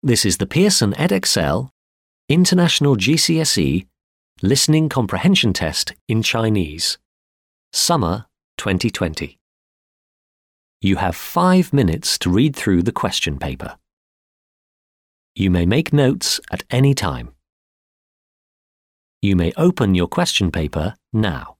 This is the Pearson edXL International GCSE Listening Comprehension Test in Chinese, Summer 2020. You have 5 minutes to read through the question paper. You may make notes at any time. You may open your question paper now.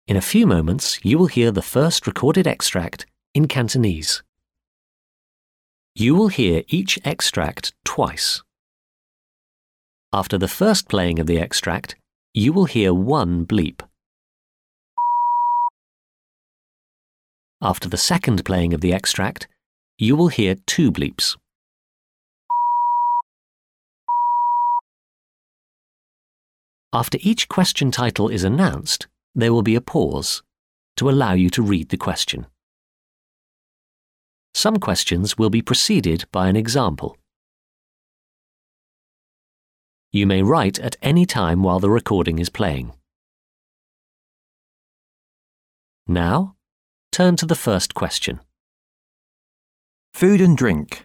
In a few moments, you will hear the first recorded extract in Cantonese. You will hear each extract twice. After the first playing of the extract, you will hear one bleep. After the second playing of the extract, you will hear two bleeps. After each question title is announced, there will be a pause to allow you to read the question. Some questions will be preceded by an example. You may write at any time while the recording is playing. Now, turn to the first question. Food and drink.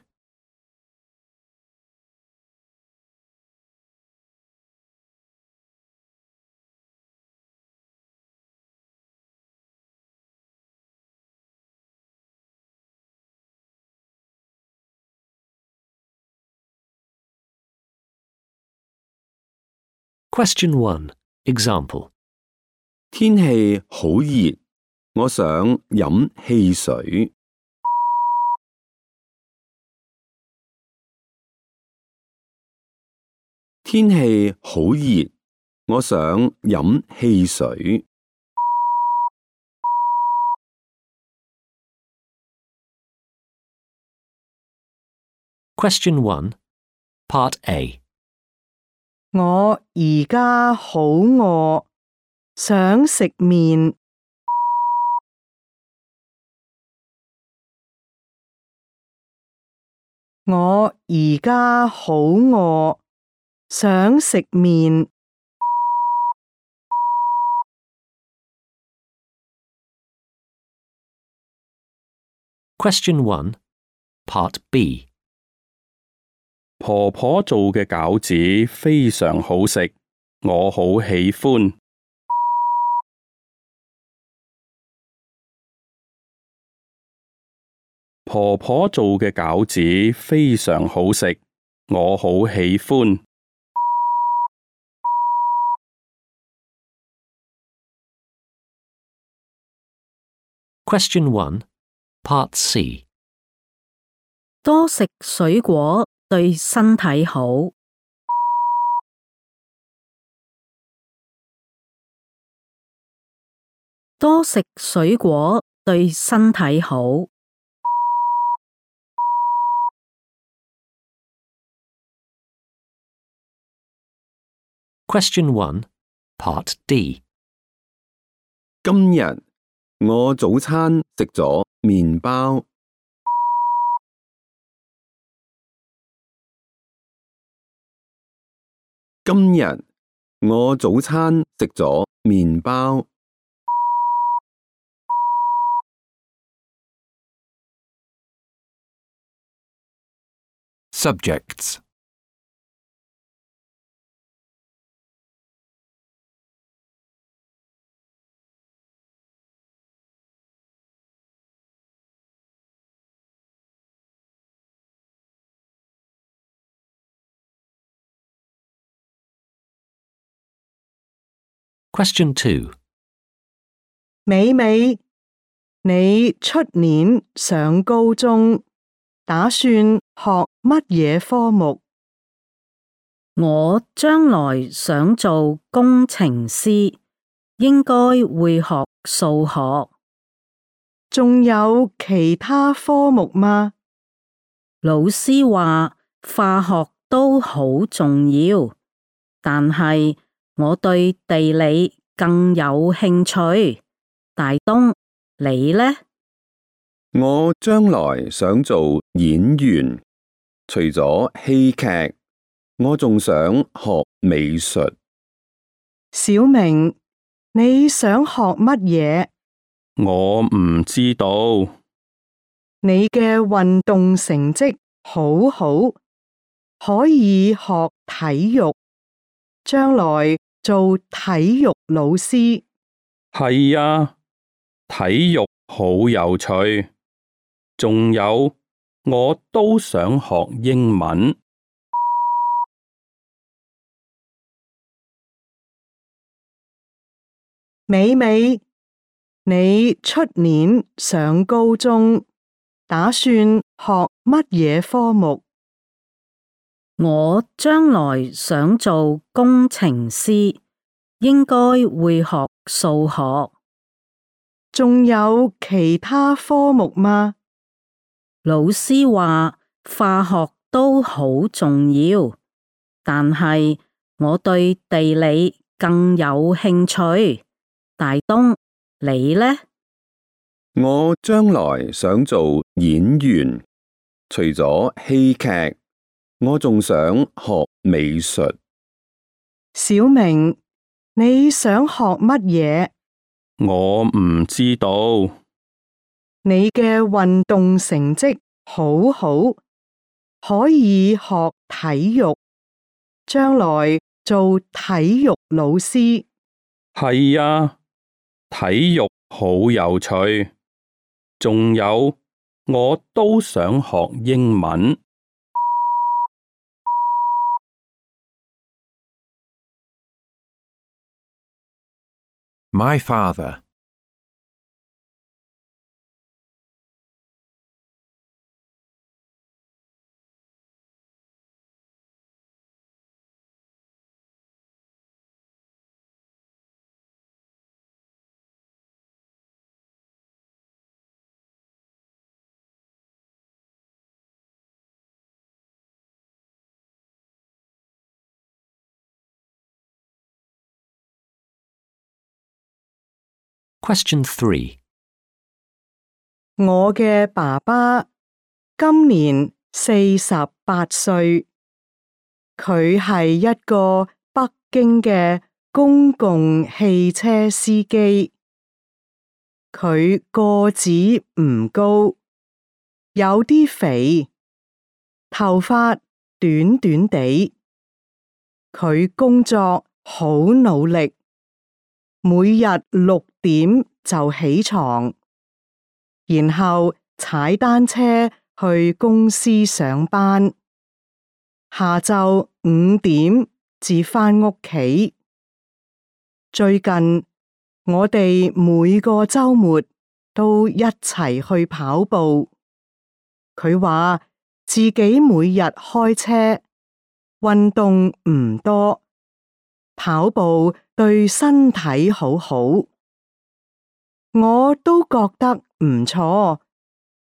Question 1. Example. 天氣好熱，我想飲汽水。天氣好熱，我想飲汽水。Question 1. Part A. 我而家好餓，想食麵。我而家好餓，想食麵。Question 1. Part B. 婆婆做嘅餃子非常好食，我好喜歡。婆婆做嘅餃子非常好食，我好喜歡。Question 1. Part C. 多食水果對身體好。多食水果對身體好。Question 1. Part D. 今日我早餐食咗麵包。今日我早餐食咗麵包。Subjects. Question 2. 美美，你出年上高中，打算學乜嘢科目？我將來想做工程師，應該會學數學。仲有其他科目嗎？老師話化學都好重要，但係我對地理更有興趣。大東，你呢？我將來想做演員，除咗戲劇，我仲想學美術。小明，你想學乜嘢？我唔知道。你嘅運動成績好好，可以學體育，將來做體育老師。係啊，體育好有趣。仲有，我都想學英文。美美，你出年上高中，打算學乜嘢科目？我將來想做工程師，應該會學數學。仲有其他科目嗎？老師話化學都好重要，但係我對地理更有興趣。大東，你呢？我將來想做演員，除咗戲劇，我仲想學美術。小明，你想學乜嘢？我唔知道。你嘅運動成績好好，可以學體育，將來做體育老師。係啊，體育好有趣。仲有，我都想學英文。My father. Question 3. 我嘅爸爸今年48歲，佢係一個北京嘅公共汽車司機。佢個子唔高，有啲肥，頭髮短短地。佢工作好努力，每日6點就起床，然後踩單車去公司上班，下晝5點至返屋企。最近我哋每個週末都一齊去跑步。佢話自己每日開車，運動唔多，跑步對身體好好。我都覺得唔錯，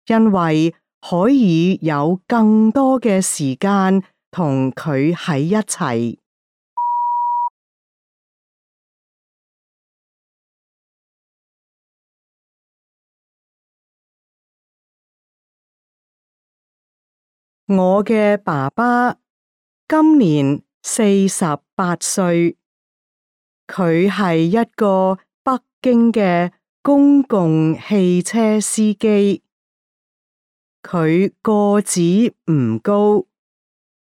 因為可以有更多嘅時間同佢喺一齊。我嘅爸爸今年48歲，佢係一個北京嘅公共汽車司機。佢個子唔高，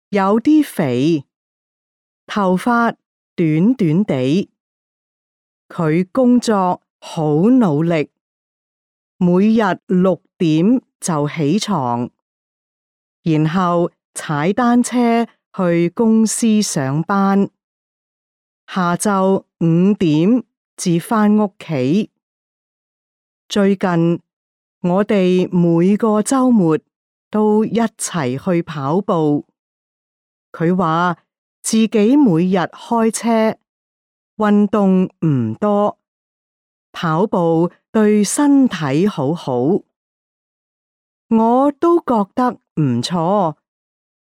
有啲肥，頭髮短短地。佢工作好努力，每日6點就起床，然後踩單車去公司上班，下晝5點至返屋企。最近我哋每個週末都一齊去跑步。佢話自己每日開車，運動唔多，跑步對身體好好。我都覺得唔錯，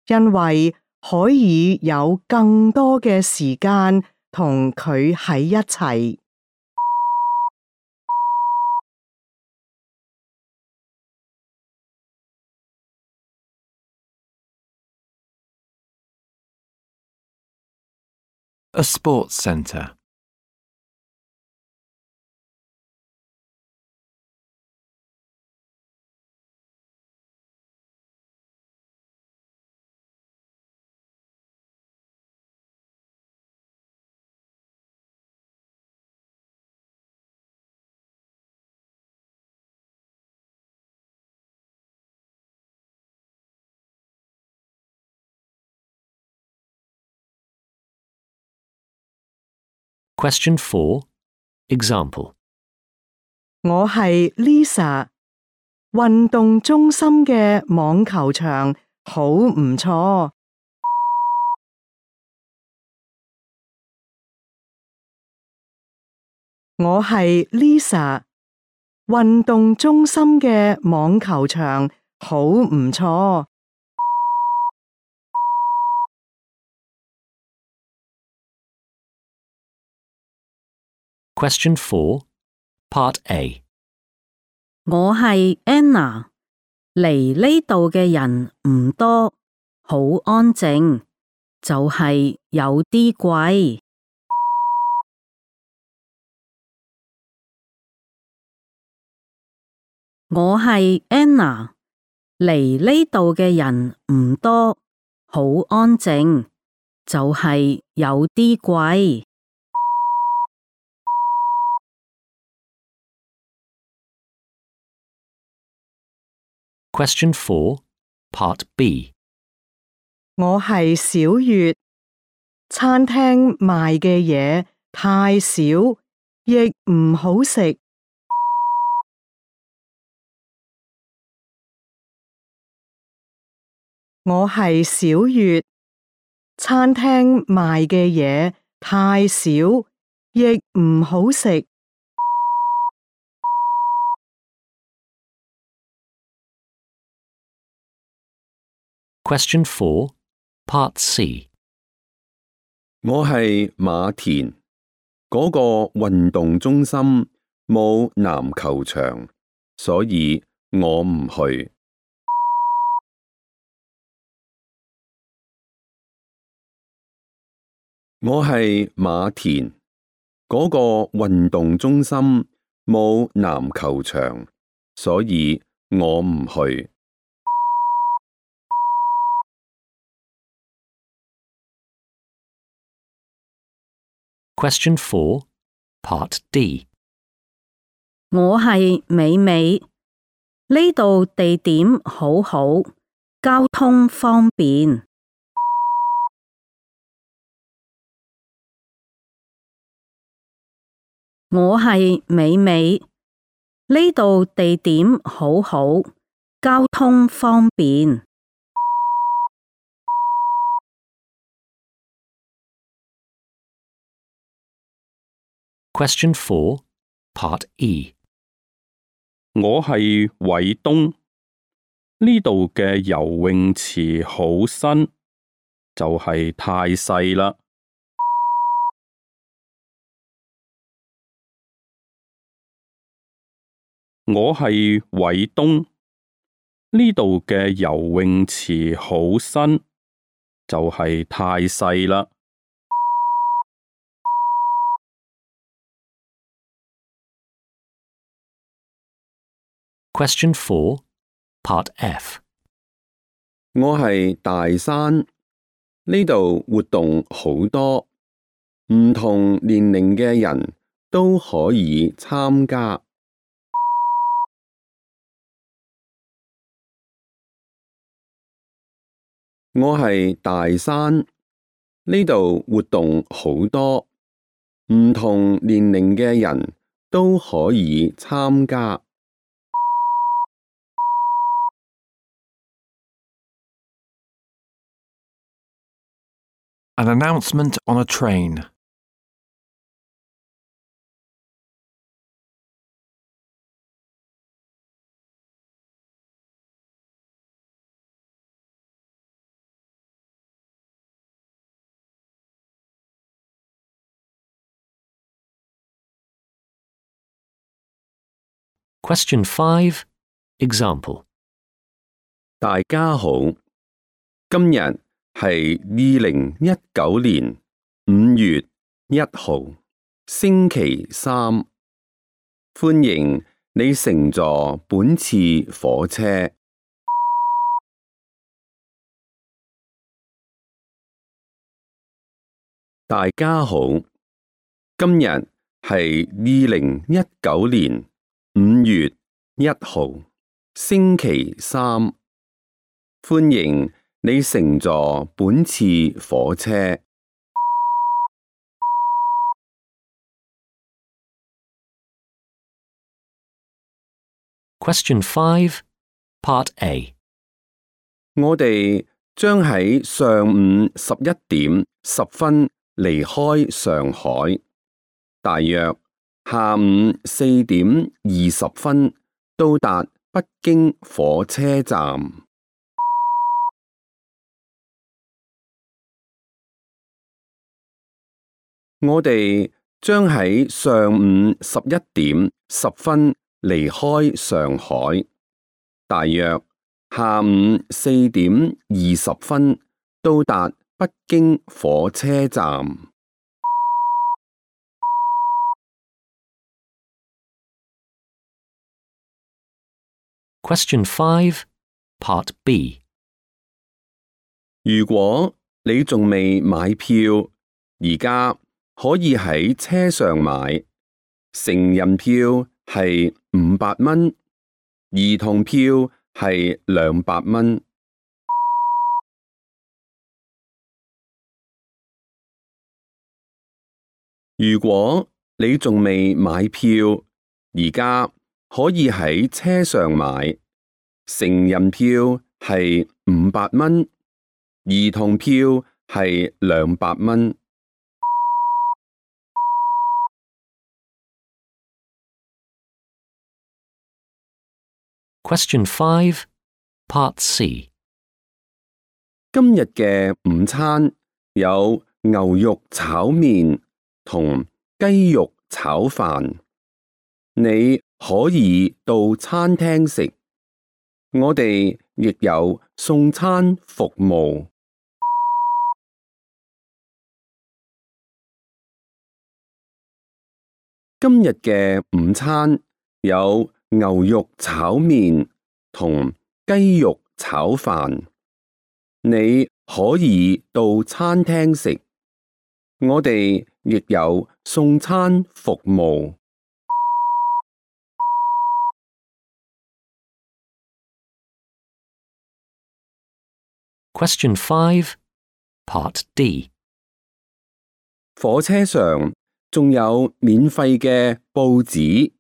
因為可以有更多嘅時間同佢喺一齊。A sports centre. Question 4. Example. 我係 Lisa，運動中心嘅網球場好唔錯。我係 Lisa，運動中心嘅網球場好唔錯。Question 4, Part A. 我係 Anna，嚟呢度嘅人唔多，好安靜，就係有啲貴。我係 Anna，嚟呢度嘅人唔多，好安靜，就係有啲貴。Question 4, Part B. 我係小月，餐廳賣嘅嘢太少，亦唔好食。我係小月，餐廳賣嘅嘢太少，亦唔好食。Question 4, Part C. 我係馬田，嗰個運動中心冇籃球場，所以我唔去。我係馬田，嗰個運動中心冇籃球場，所以我唔去。Question 4, Part D. 我係美美，呢度地點好好，交通方便。我係美美，呢度地點好好，交通方便。Question 4, Part E. 我係偉東，呢度嘅游泳池好新，就係太細啦。我係偉東，呢度嘅游泳池好新，就係太細啦。Question 4, Part F. 我係大山，呢度活動好多，唔同年齡嘅人都可以參加。我係大山，呢度活動好多，唔同年齡嘅人都可以參加。An announcement on a train. Question 5, Example. 大家好，今日係2019年5月1號，星期三。歡迎你乘坐本次火車。大家好，今日係2019年5月1號，星期三。歡迎你乘坐本次火車。Question 5, Part A. 我哋將喺上午11:10離開上海，大約下午4:20到達北京火車站。我哋將喺上午11:10離開上海，大約下午4:20到達北京火車站。Question 5, Part B. 如果你仲未買票，而家可以喺車上買，成人票係500蚊，兒童票係200蚊。如果你仲未買票，而家可以喺車上買，成人票係500蚊，兒童票係200蚊。Question 5, Part C. 今日嘅午餐有牛肉炒麵同雞肉炒飯，你可以到餐廳食，我哋亦有送餐服務。今日嘅午餐有牛肉炒麵同雞肉炒飯，你可以到餐廳食，我哋亦有送餐服務。Question 5, Part D. 火車上仲有免費嘅報紙，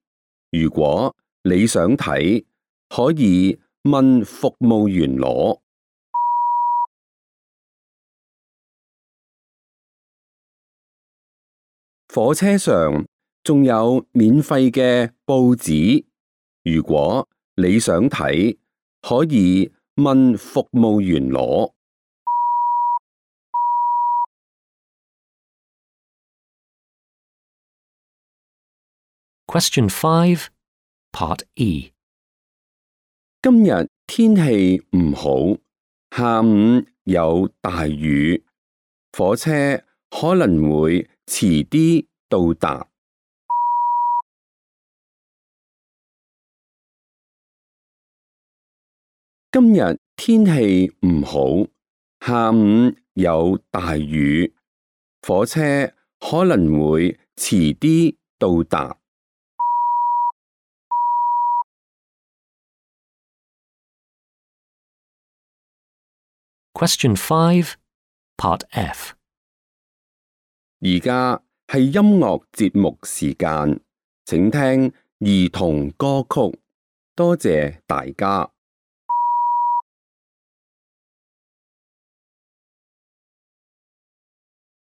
如果你想睇，可以問服務員攞。火車上仲有免費嘅報紙，如果你想睇，可以問服務員攞。Question 5, Part E. 今日天氣唔好，下午有大雨，火車可能會遲啲到達。今日天氣唔好，下午有大雨，火車可能會遲啲到達。Question 5, Part F. 而家係音樂節目時間，請聽兒童歌曲，多謝大家。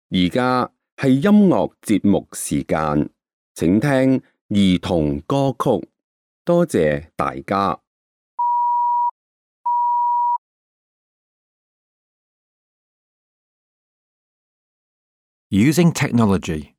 而家係音樂節目時間，請聽兒童歌曲，多謝大家。Using technology.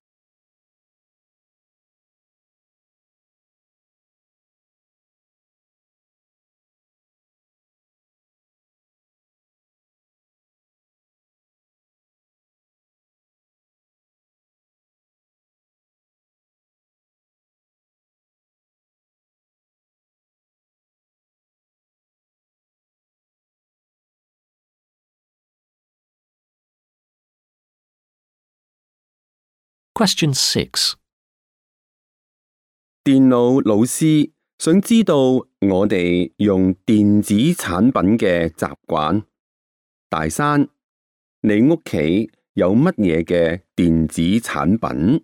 Question 6. 電腦老師想知道我哋用電子產品嘅習慣。大山，你屋企有乜嘢嘅電子產品？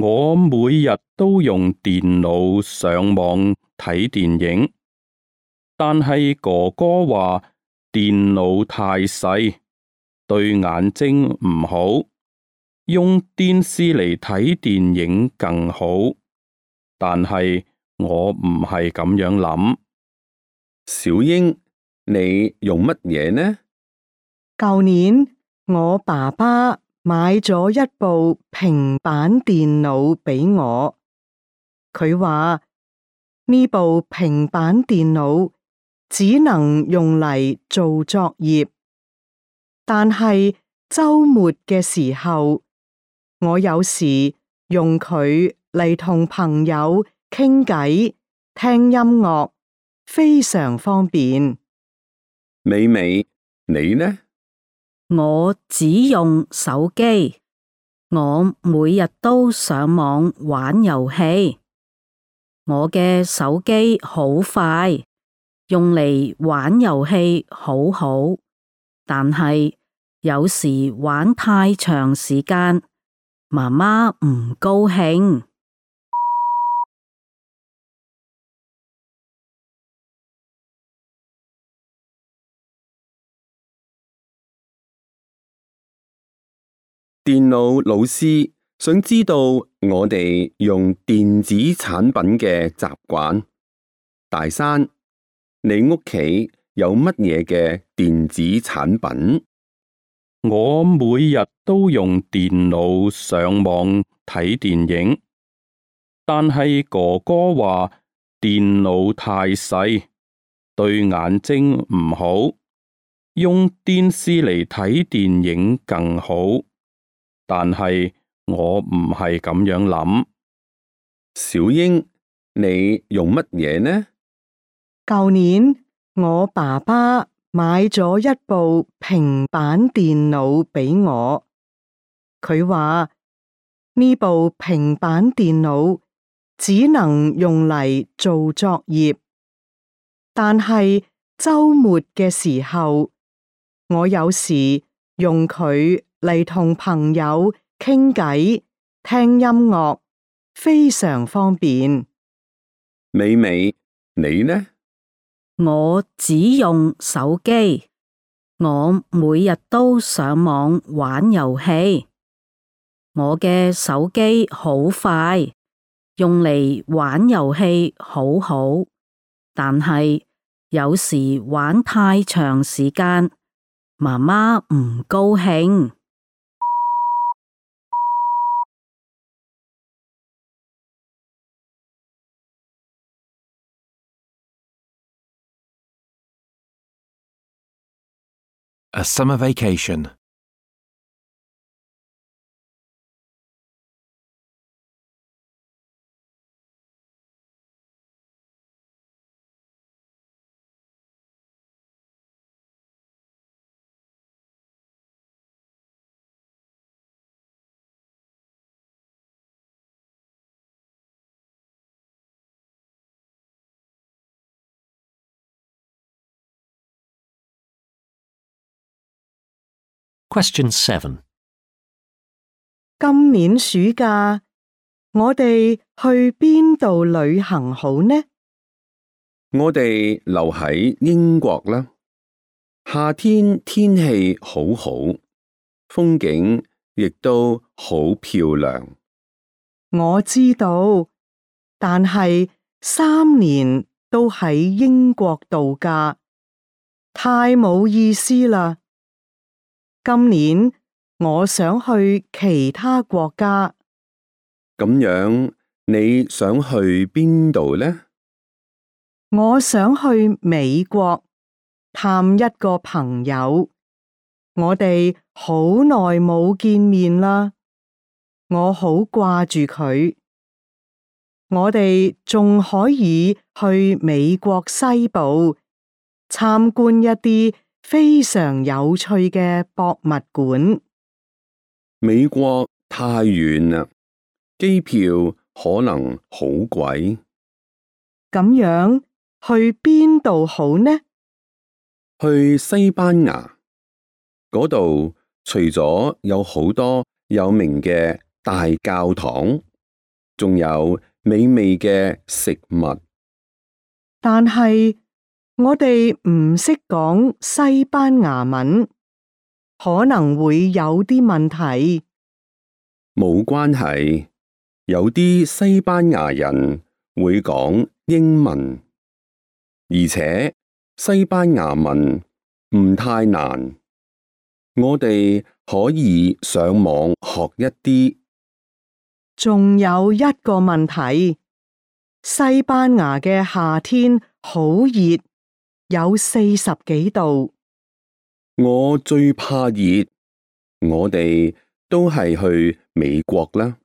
我每日都用電腦上網睇電影，但係哥哥話電腦太細，對眼睛唔好，用電視嚟睇電影更好。但係我唔係咁樣諗。小英，你用乜嘢呢？舊年我爸爸買咗一部平板電腦俾我，佢話呢部平板電腦只能用嚟做作業，但係週末嘅時候，我有時用佢嚟同朋友傾偈、聽音樂，非常方便。美美，你呢？我只用手機，我每日都上網玩遊戲。我嘅手機好快，用嚟玩遊戲好好，但係有時玩太長時間，媽媽唔高興。電腦老師想知道我哋用電子產品嘅習慣。大山，你屋企有乜嘢嘅電子產品？我每日都用電腦上網睇電影，但係哥哥話電腦太細，對眼睛唔好，用電視嚟睇電影更好。但係我唔係咁樣諗。小英，你用乜嘢呢？舊年我爸爸買咗一部平板電腦俾我，佢話呢部平板電腦只能用嚟做作業，但係週末嘅時候，我有時用佢嚟同朋友傾偈、聽音樂，非常方便。美美，你呢？我只用手機，我每日都上網玩遊戲。我嘅手機好快，用嚟玩遊戲好好，但係有時玩太長時間，媽媽唔高興。A summer vacation. Question 7. 今年暑假，我哋去邊度旅行好呢？我哋留喺英國啦。夏天天氣好好，風景亦都好漂亮。我知道，但係3年都喺英國度假，太冇意思啦。今年我想去其他國家。咁樣，你想去邊度呢？我想去美國探一個朋友，我哋好耐冇見面啦，我好掛住佢。我哋仲可以去美國西部參觀一啲非常有趣嘅博物館。美國太遠啦，機票可能好貴。咁樣去邊度好呢？去西班牙嗰度，除咗有好多有名嘅大教堂，仲有美味嘅食物。但係我哋唔識講西班牙文，可能會有啲問題。冇關係，有啲西班牙人會講英文，而且西班牙文唔太難，我哋可以上網學一啲。仲有一個問題，西班牙嘅夏天好熱，有40幾度。我最怕熱，我哋都係去美國啦。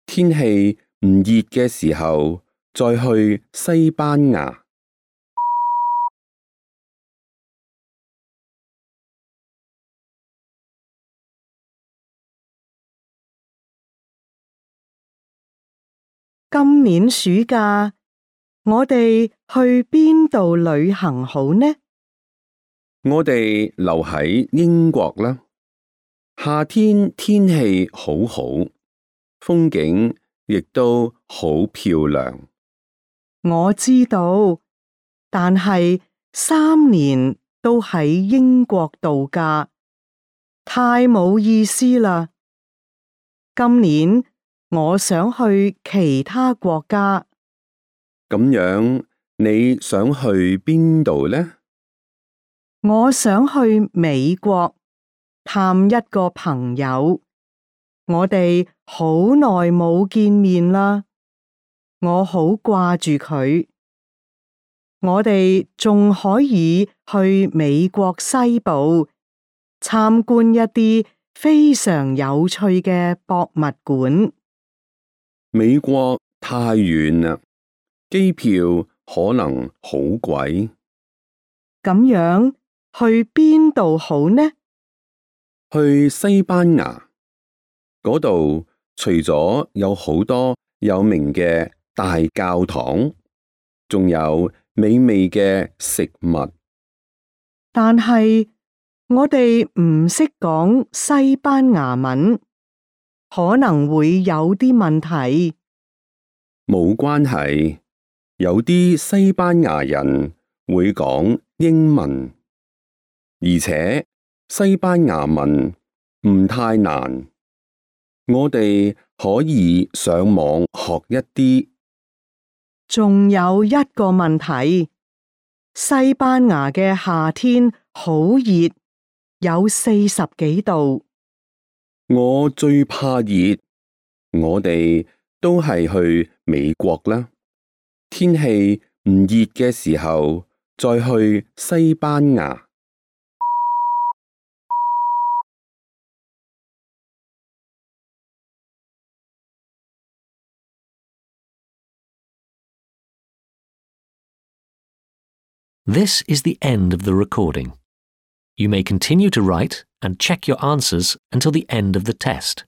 天氣唔熱嘅時候，再去西班牙。今年暑假，我哋去邊度旅行好呢？我哋留喺英國啦。夏天天氣好好，風景亦都好漂亮。我知道，但係3年都喺英國度假，太冇意思啦。今年我想去其他國家。咁樣，你想去邊度呢？我想去美國探一個朋友，我哋好耐冇見面啦，我好掛住佢。我哋仲可以去美國西部參觀一啲非常有趣嘅博物館。美國太遠啦，機票可能好貴。咁樣去邊度好呢？去西班牙嗰度，除咗有好多有名嘅大教堂，仲有美味嘅食物。但係我哋唔識講西班牙文，可能會有啲問題。冇關係，有啲西班牙人會講英文，而且西班牙文唔太難，我哋可以上網學一啲。仲有一個問題，西班牙嘅夏天好熱，有40幾度。我最怕熱，我哋都係去美國啦。天氣唔熱嘅時候，再去西班牙。This is the end of the recording. You may continue to write and check your answers until the end of the test.